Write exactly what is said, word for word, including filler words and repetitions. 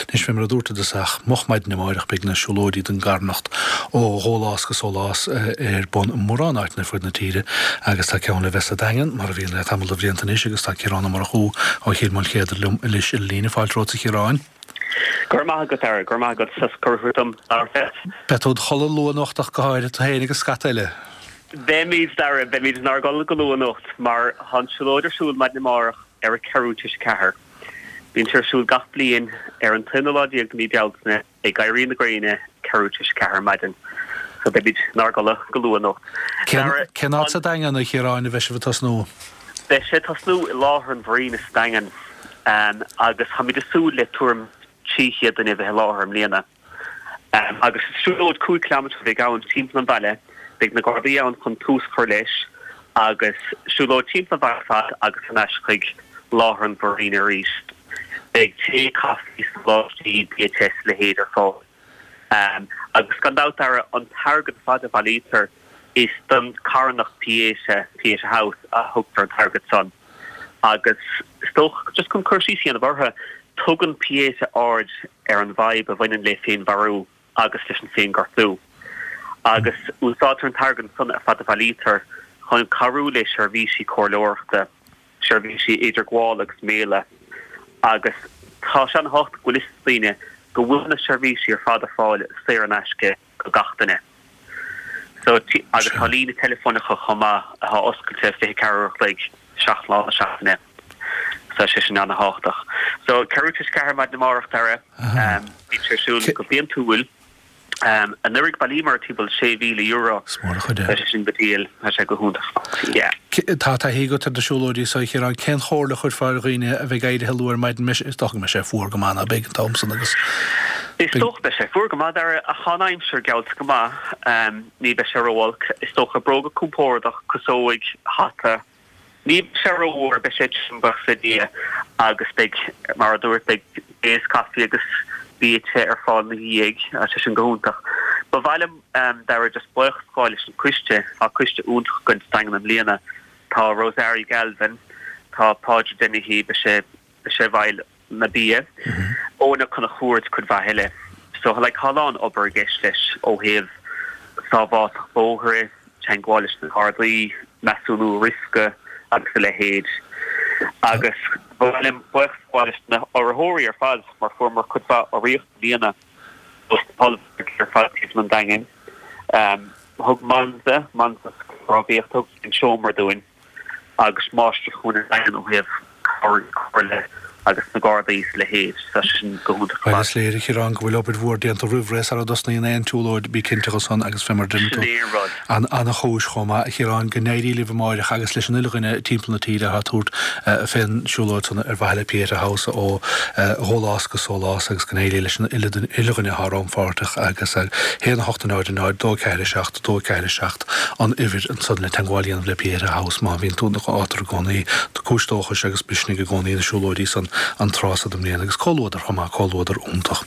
Anois fé mar a dúrt i dtosach, moch maidin amáireach beidh na siúlóidí don gcarthanacht ó dhólás go sólás ar bun i mórán áiteanna ar fud na tíre agus tá ceann le bheith sa Daingean, mar a bhíonn le tamall de bhlianta anois agus tá Ciarán Ó Murchú ó Chill Maoilchéadair liom anois ar líne. Fáilte romhat a Chiaráin. Go raibh maith agat, Dara, go raibh maith agat as cuireadh dom labhairt leat. Beidh tú id chodladh luath anocht ach go háirithe, tú féin agus scata eile. Beimid, Dara, beimid inár gcodladh go luath anocht mar tá an tsiúlóid ar siúl maidin amárach ar a ceathrú tar éis a ceathair. Bíonn sé ar siúl gach bliain ar an t-aonú lá déag de mhí Bealtaine ag éirí na gréine ceathrú tar éis a ceathair ar maidin. So beimid inár gcodladh go luath anocht. Cén cén áit sa Daingean, a Chiaráin, a bheidh sibh ag tosnú? Beidh sé ag tosnú i láthair an mharina sa Daingean agus táimid ag súil le tuairim trí chéad duine a bheith i láthair i mbliana. Agus is siúlóid cúig kilometre a bheidh ann timpeall an bhaile. Beidh na Gardaí ann chun tús a chur leis agus siúlóid timpeall an bhaile ar fad agus thar n-ais chuig láthair an mharina arís. Beidh tae, caife, sóláistí, bia te is a leithéid ar fáil. Agus gan dabht, Dara, an t-airgead ar fad a bhailítear, is don charthanacht Pieta, Pieta House, a thugtar an t-airgead san. Agus is dócha, just chun cur síos a dhéanamh orthu, tugann Pieta aird ar an bhfadhb a bhaineann le féinmharú agus leis an féinghortú. Agus úsáidtear an t-airgead san ar fad a bhailítear chun cabhrú le seirbhísí comhairleoireachta, seirbhísí idirghabhála agus méala. Agus tá sé an-thábhachtach go bhfuil fhios ag daoine go bhfuil na seirbhísí ar fad ar fáil saor in aisce do gach duine. So, agus tá líne teileafóin acu chomh maith atá oscailte fiche ceathair uair a chloig, seacht lá na seachtaine. So, tá sé sin an-thábhachtach. So, ceathrú tar éis a ceathair maidin amárach, Dara, bíonn sé ar siúl go bliantúil. Anuraidh bhailíomar timpeall sé mhíle euro. Is mór an chuid é. Tá sé sin go diail, tá sé go hiontach. Yeah. Tá taithí agat ar na siúlóidí so, a Chiaráin. Cén chomhairle a chuirfeá ar dhaoine a bheidh éirithe luath ar maidin? Is dócha go mbeidh sé fuar go maith ná beidh an t-am san agus. Is dócha beidh sé fuar go maith, Dara, ach tá an aimsir geallta go maith. Ní bheidh sé ró-olc. Is dócha bróga compordach, casóig, hata. Ní bheidh sé rófhuar, beidh sé tirim, buíochas le Dia, agus beidh, mar a dúirt, beidh tae is caife agus bia te ar fáil ina dhiaidh, tá sé sin go hiontach. Ba mhaith liom, Dara, just buíochas a ghabháil leis an coiste, tá coiste iontach againn sa Daingean i mbliana, tá Rosarie Galvin, tá Pádraig Dennehy, beidh sé, beidh sé i bhfeighil na bia, Eoin Ó Conchúir is cuid mhaith eile. So like tá a lán obair i gceist leis ó thaobh sábháilteacht bóithre, teagmháil leis na Gardaí, measúnú riosca agus a leithéid. Agus ba mhaith liom buíochas a ghabháil leis na urraitheoirí ar fad mar fuaireamar cuid mhaith urraíocht i mbliana dos na hollmhargaí ar fad timpeall an Daingin. Thug Monza, Monza Rámhaíocht, thug an seomra dúinn. agus Máistir-Chúinne an Daingin ó thaobh comhairle agus na Gardaí is a leithéid. Tá sé sin go hiontach ar Bhuel, fad. is léir, a Chiaráin, go bhfuil obair mhór déanta roimh ré sara dtosnaíonn aon tsiúlóid, bí cinnte de san agus fé mar a deireann Sin tú, é an rud. an an-chúis chomh maith, a Chiaráin, go n-éirí libh amáireach agus leis an uile dhuine timpeall na tíre atá ag tabhairt fén siúlóid san ar mhaithe le Pieta House ó dhólás go sólás agus go n-éirí leis an uile uile dhuine atá rannpháirteach agus a haon a hocht a náid a náid dó ceathair a seacht dó ceathair a seacht an uimhir ansan le teagmháil a dhéanamh le Pieta House má bhíonn tú átar i gcónaí cúis dóchais agus misnigh i gcónaí na siúlóidí san an tráth so den mbliain agus comhluadar chomh maith, comhluadar iontach.